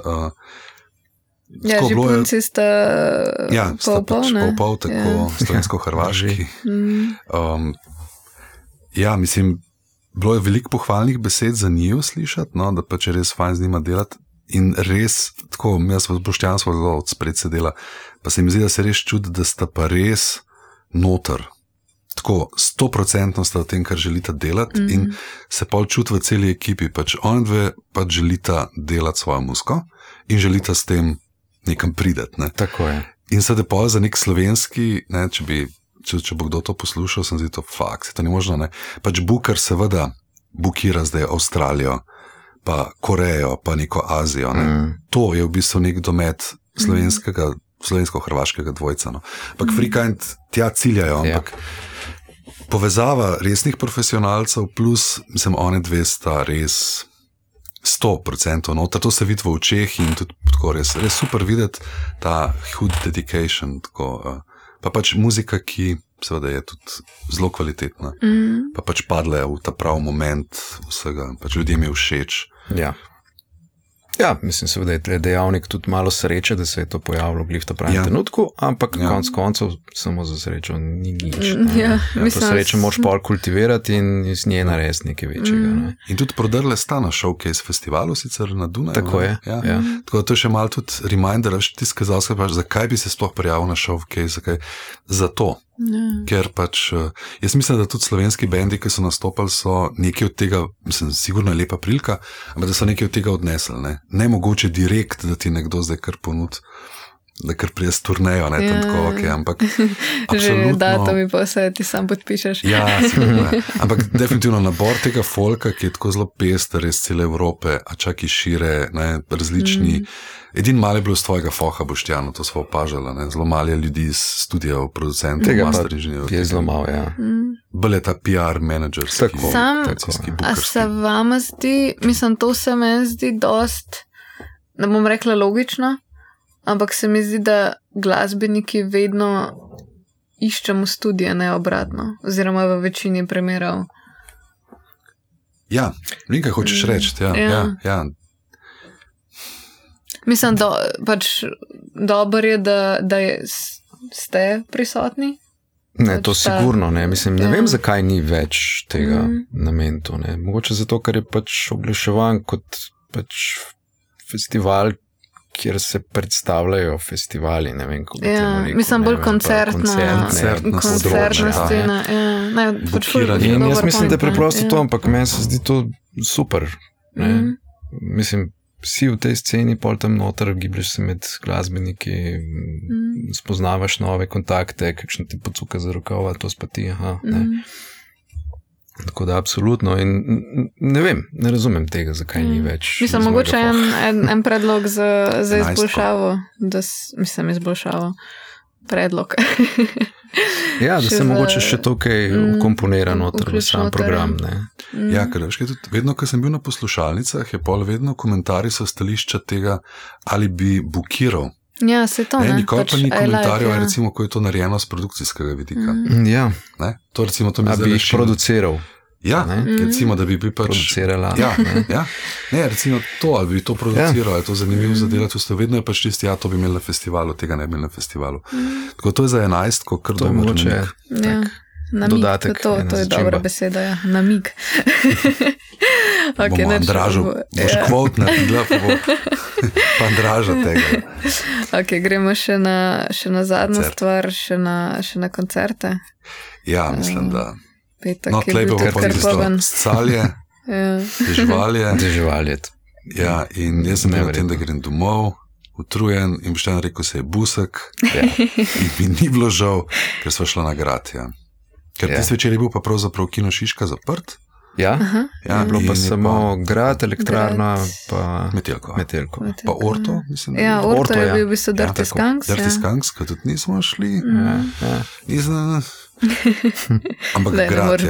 Ja, že punci sta pol, tako slovensko-hrvaški. Ja, mislim, bilo je veliko pohvalnih besed za njiju slišati, no, da pač je res fajn z njima delati in res, tako, jaz v Boštjan smo zelo odspred sedela, pa se mi zdi, da se res čudi, da sta pa res noter. Tako, 100% sta v tem, kar želita delati in se pol čuti v celi ekipi, pač oni dve pač želita delati svojo muziko in želita s tem nekam prideti. Ne. Tako je. In sedaj pol za nek slovenski, ne, če bo kdo to poslušal, sem zdi to fakt, to ni možno, ne. Pač booker seveda bookira zdaj Avstralijo, pa Korejo, pa neko Azijo. To je v bistvu nek domet slovensko-hrvaškega dvojca. No. Ampak Free Kind tja ciljajo, ampak povezava resnih profesionalcev plus, mislim, one dve sta res 100% noter, to se vidi v očeh in tudi tako res super videti ta hud dedication, tako, pa pač muzika, ki seveda je tudi zelo kvalitetna, pa pač padle v ta prav moment vsega, pač ljudem je všeč. Ja, mislim seveda je dejavnik tudi malo sreče, da se je to pojavilo v ta pravem trenutku, ampak konec koncev samo za srečo ni nič. To srečo moraš pol kultivirati in iz nje narediti nekaj večjega. Ne? In tudi prodrle sta na Showcase festivalu, sicer na Dunaju. Tako je. Tako da to je še malo tudi reminder, ti skazal, zakaj bi se sploh prijavil na Showcase, zakaj? Zato. Ker pač, jaz mislim, da tudi slovenski bendi, ki so nastopali, so nekaj od tega, mislim, sigurno je lepa prilika, ampak da so nekaj od tega odnesli, ne mogoče direkt, da ti nekdo zdaj kar ponud, da kar prijez turnejo, ne, tam tako, ok, ampak absolutno. Že datumi pa vse, ti sam podpišeš. Sigurno, ampak definitivno nabor tega folka, ki je tako zelo pester iz cele Evrope, a čak i šire, ne, različni. Edin malo je bilo z tvojega foha, Boštjano, to smo opažali, ne, zelo malo je ljudi iz studijev, producentov, master inženirjev. Je zelo malo, Bolj je ta PR menedžerski. A se vama zdi, mislim, to se meni zdi dost, ne bom rekla logično, ampak se mi zdi, da glasbeniki vedno iščemo studije, ne obratno, oziroma v večini primerov. Ja, nekaj hočeš reči, ja. Mislim, pač dobro je, da ste prisotni. Ne, to sigurno, ne. Mislim, ne vem, zakaj ni več tega namentu, ne. Mogoče zato, ker je pač oglaševan kot pač festival, kjer se predstavljajo festivali, ne vem, kako bi temu rekel. Mislim, bolj koncertna scena. In jaz mislim, da je preprosto to, ampak meni se zdi to super. Mislim, vsi v tej sceni, pol tam noter, gibljaš se med glasbeniki, spoznavaš nove kontakte, kakšne ti pocuka za rokava, to spati, ne. Tako da absolutno in ne vem, ne razumem tega, zakaj ni več. Mislim, mogoče en predlog za izboljšavo, izboljšavo, predlog. Ja, da se mogoče še tukaj komponira noter v sam program, ne. Ja, ker tudi vedno, ko sem bil na poslušalnicah, je pol vedno komentarji so stališča tega, ali bi bukiral. Ja, se to, ne. Nikoli pa ni komentarjev, recimo, ko je to narejeno z produkcijskega vidika. Ja. To recimo, to mi zdaj bi jih produciral. Ja, recimo, da bi pač... Producirala. Ja. Ne, recimo to, ali bi to produciral, je to zanimivo zadelati, vedno je pač tisti, to bi imeli na festivalu, tega ne bi imeli na festivalu. Tako to je za 11, ko kar dobro namig. Dodatek. To je dobra beseda, ja. Namig. Bomo Andražu, boš kvot naredila, pa Andraža tega. Ok, gremo še na zadnjo stvar, še na koncerte. Ja, mislim, da petek je bil kar poln. Scalje, Deževalje. Ja, in jaz sem bil na tem, da grem domov, utrujen in Boštjan rekel, se je busek in mi ni bilo žal, ker sva šla na grad, Ker tiste večer je bil pa pravzaprav Kino Šiška zaprt. Ja, bilo pa samo grad, elektrarna, pa Metelko. Pa Orto, mislim. Ja, Orto je bil v bistvu Dirty Skunks. Dirty Skunks, ko tudi nismo šli. Ampak grad,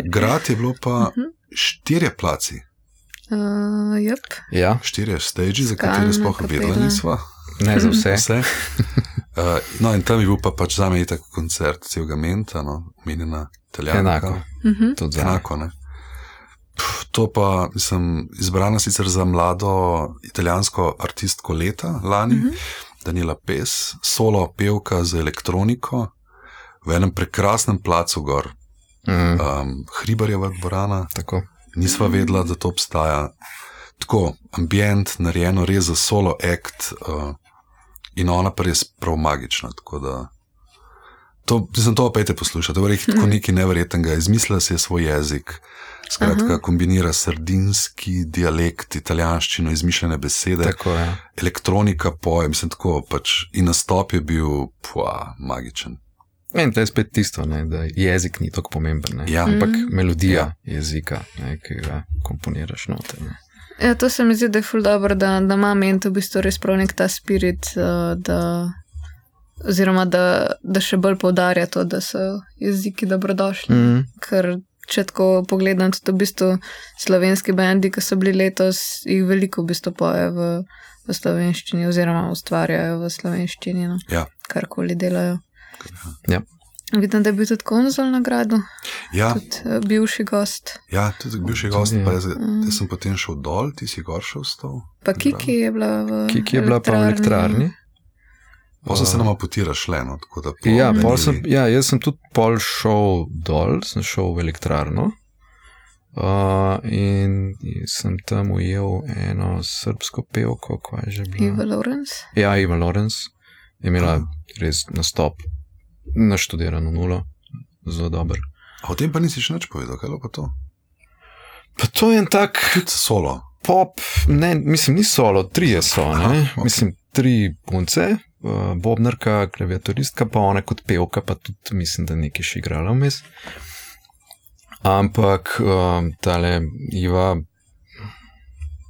grad je bilo pa 4 placi. Ja. 4 stage, za katere sploh vedela nisva. Ne za vse. No, in tam je bil pa pač zame itak koncert celega Menta, omenjena Italijanka. Enako, ne. To pa, mislim, izbrana sicer za mlado italijansko artistko leta lani, Daniela Pes, solo pevka z elektroniko, v enem prekrasnem placu gor. Hribarjeva dvorana. Tako. Nisva vedela, da to obstaja. Tako, ambient, narejeno res za solo act, in ona pa res prav magična, tako da to opet poslušati, to je tako nekaj neverjetnega, izmislila si je svoj jezik, skratka kombinira sardinski dialekt, italijanščino, izmišljene besede, tako, elektronika poje, mislim tako pač, in nastop je bil magičen. In to je spet tisto, ne, da jezik ni tako pomemben, ne, ampak melodija jezika, ne, ki ga komponiraš noter. Ne. Ja, to se mi zdi, da je ful dobro, da ima ment v bistvu res prav nek ta spirit, oziroma da še bolj poudarja to, da so jeziki dobrodošli. Ker če tako pogledam, tudi v bistvu slovenski bendi, ki so bili letos, jih veliko v bistvu pojejo v slovenščini oziroma ustvarjajo v slovenščini, no? Ja. Karkoli delajo. Ja. Vidim, da je bil tudi Konzol nagradu. Ja. Tudi bivši gost. Ja, tudi bivši gost, pa jaz sem potem šel dol, ti si gor šel s to. Pa Kiki je bila v elektrarni. Kiki je bila pa v elektrarni. Potem se nama potira šle, no, tako da... jaz sem tudi pol šel dol, sem šel v elektrarno in sem tam ujel eno srbsko pevko, kaj je že bila? Eva Lorenz? Ja, Eva Lorenz je imela res nastop, naštudirano nulo, zelo dober. A o tem pa nisi še nič povedal, kaj je pa to? Pa to je en tak... Tudi solo? Pop, ne, mislim, ni solo, 3 so, ne? Okay. Mislim, 3 punce, bobnarka, klaviaturistka, pa ona kot pevka, pa tudi mislim, da nekaj še igrala vmes. Ampak tale Iva,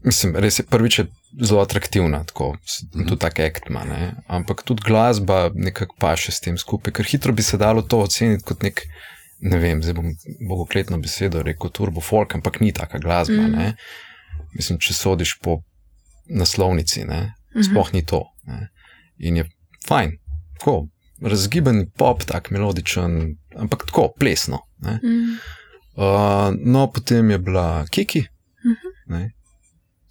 mislim, res je prvič zelo atraktivna, tako, tudi tak act ima, ne? Ampak tudi glasba nekako paše s tem skupaj, ker hitro bi se dalo to oceniti kot nek, ne vem, zdaj bom bogokletno besedo rekel turbo folk, ampak ni taka glasba, ne? Mislim, če sodiš po naslovnici, ne? Sploh ni to, ne? In je fajn, tako, razgiben pop, tak melodičen, ampak tako, plesno, ne? No, potem je bila Kiki, ne?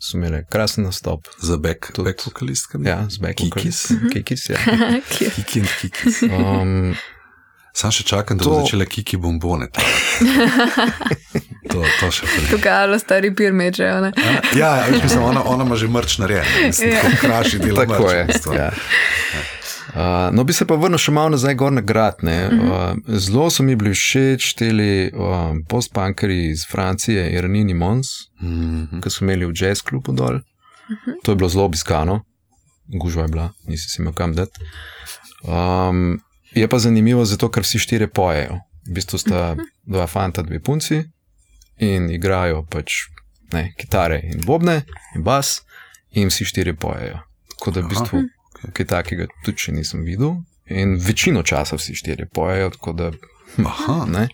So imeli krasen nastop. Za back vokalistkami? Ja, z back vokalistkami. Kikis, ja. Kiki and Kikis. Sam še čakam, da bo začela Kiki bombone. To še prej. Tukaj alo stari pir meče, ne? Ja, mislim, ona ima že mrč narejen. Mislim, tako kraši dela mrč. Tako je, ja. No, bi se pa vrnil še malo nazaj gor na grad, ne. Zelo so mi bili všeč teli post-punkeri iz Francije, Iranini Mons, ki so imeli v jazz klubu dol. To je bilo zelo obiskano, gužva je bila, nisi si imel kam dati. Je pa zanimivo zato, ker vsi 4 pojejo. V bistvu sta 2 fanta, 2 punci in igrajo pač, ne, kitare in bobne in bas in vsi 4 pojejo. Tako da v bistvu kaj takega tudi še nisem videl in večino časa vsi 4 pojejo, tako da ne.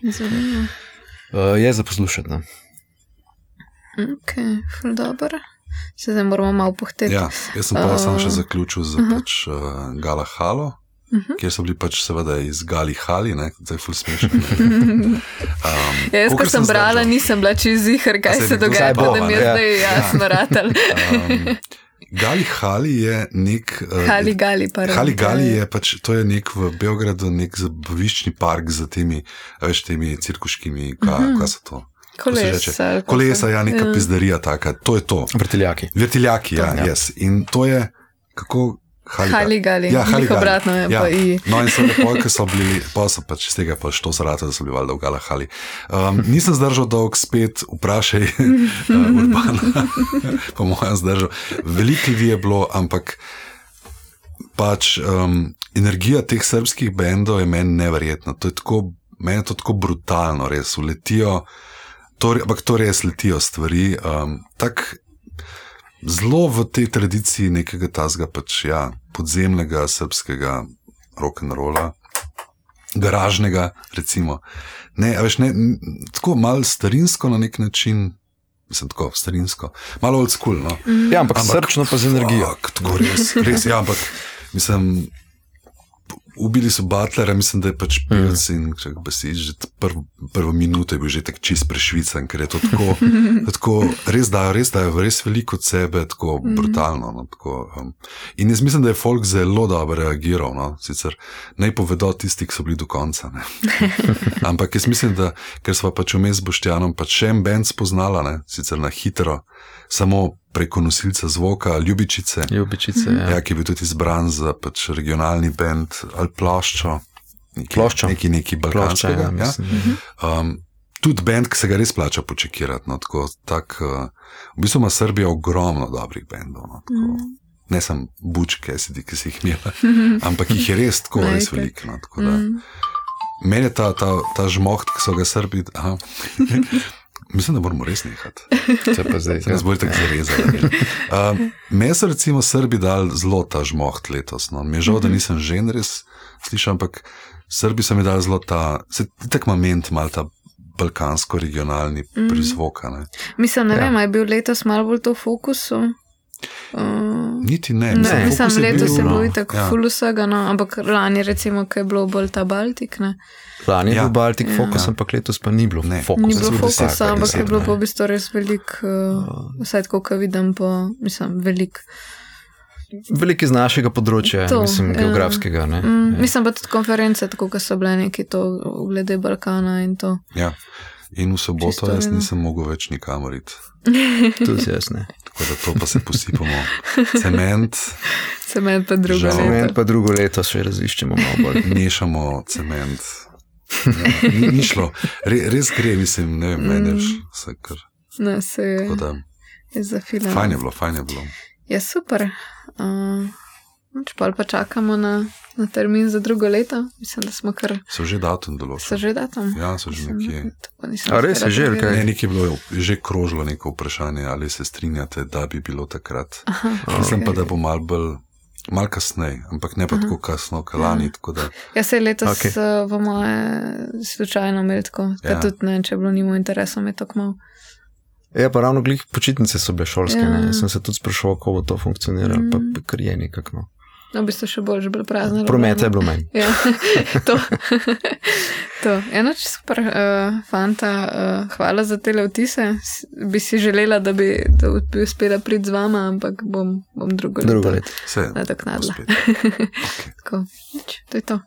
Je za poslušati, ne. Ok, ful dobro. Se zdaj moramo malo pohteti. Ja, jaz sem pa sam še zaključil za pač Gala Halo, kjer so bili pač seveda iz Gali Hali, ne, zdaj ful smešno. Jaz, ko sem brala, nisem bila čez zihar, kaj se dogaja, pa da mi je zdaj jasno ratal. Gali Hali je nek... Hali je pač, to je nek v Beogradu, nek zabaviščni park za temi cirkuškimi, kaj so to? Kolesa, ja, neka pizdarija taka, to je to. Vrtiljaki, ja, yes. In to je, kako... Haligali, ja, njih obratno je ja. Pa i. No in seveda pojke so bili, pa so pač iz tega pa što zarata, da so bili valjda v Gala Hali. Nisem zdržal dolg, spet vprašaj Urbana, po mojem zdržal. Veliko ljudi je bilo, ampak pač energija teh srbskih bendov je meni neverjetna. To je tako, meni je to tako brutalno, res, uletijo, ampak to res letijo stvari, tak zelo v tej tradiciji nekega tazga pač, ja, podzemnega srbskega rock'n'rolla, garažnega, recimo. Ne, a veš, ne, tako malo starinsko na nek način, mislim, tako starinsko, malo old school, no. Ja, ampak srčno pa z energijo. Tako res, ja, ampak, mislim, ubili so Butlera, mislim, da je pač pevec in že prvo minuto je bil že tak čist prešvican, ker je to tako res dajo veliko od sebe, tako brutalno, no, tako, in jaz mislim, da je folk zelo dobro reagiral, no, sicer naj povedo tisti, ki so bili do konca, ne, ampak jaz mislim, da, ker sva pač vmes s Boštjanom pač še en band spoznala, ne, sicer na hitro, samo preko nosilca zvoka, Ljubičice, ja, ki je bil tudi izbran za pač regionalni band ali Ploščo, neki balkanskega. Ja. Tudi band, ki se ga res plača počekirati. No, v bistvu ima Srbija ogromno dobrih bendov. No, ne samo bučke, ki si jih imela, ampak jih je res tako res veliko. No, meni je ta žmoht, ki so ga Srbi... Mislim, da moramo res nehati. Se pa zdaj. Se nas bolj tako zarezali. Me so recimo Srbi dali zelo ta žmoht letos. No. Mi je žal, da nisem žen res slišal, ampak Srbi so mi dali zelo ta, se tak moment mal ta balkansko-regionalni prizvok. Mislim, ne vem, je bil letos malo bolj to v fokusu? Niti ne. Mislim, letos je bilo tako ful vsega, no, ampak lani recimo, ko je bilo bolj ta Baltik, ne? Lani je bil Baltik fokus, ampak letos pa ni bilo fokusa. Ni bilo fokusa, ampak je bilo pa v bistvu res velik, vsaj tako, ko vidim po, mislim, velik. Velik iz našega področja, mislim, geografskega, ne? Mislim pa tudi konference, tako, ko so bile neki to glede Balkana in to. Ja. In v soboto jaz nisem mogel več nikamor iti. Tudi jaz ne. Tako da to pa se posipamo. Cement pa drugo leto. Cement pa drugo leto še raziščemo malo bolj. Mešamo cement. Ja, ni šlo. Res gre, mislim, ne vem, meneš vse kar. No, se je zafilano. Fajn je bilo. Ja, super. Čepal pa čakamo na termin za drugo leto. Mislim, da smo kar... So že datum določili. So že datum? Ja, so že nekje. A res je že, kaj? Ne, nekje je bilo že krožilo neko vprašanje, ali se strinjate, da bi bilo takrat. Mislim pa, da bo malo kasneje, ampak ne pa tako kasno, kalani, tako da... Ja, se letos v moje slučajno imeli tako, da tudi ne, če je bilo nimo interesom, je tako malo. Ja, pa ravno glih počitnice so bile šolske, ne? Sem se tudi sprašoval, kako bo to funkcioniralo, pa kar je nekako, no. No, v bistvu še bolj že bilo prazno. Prometa je bilo manj. Ja, to. Enoč super, fanta, hvala za tele vtise. Bi si želela, da bi uspela priti z vama, ampak bom drugo leto. Nadoknadila. Tako, to je to.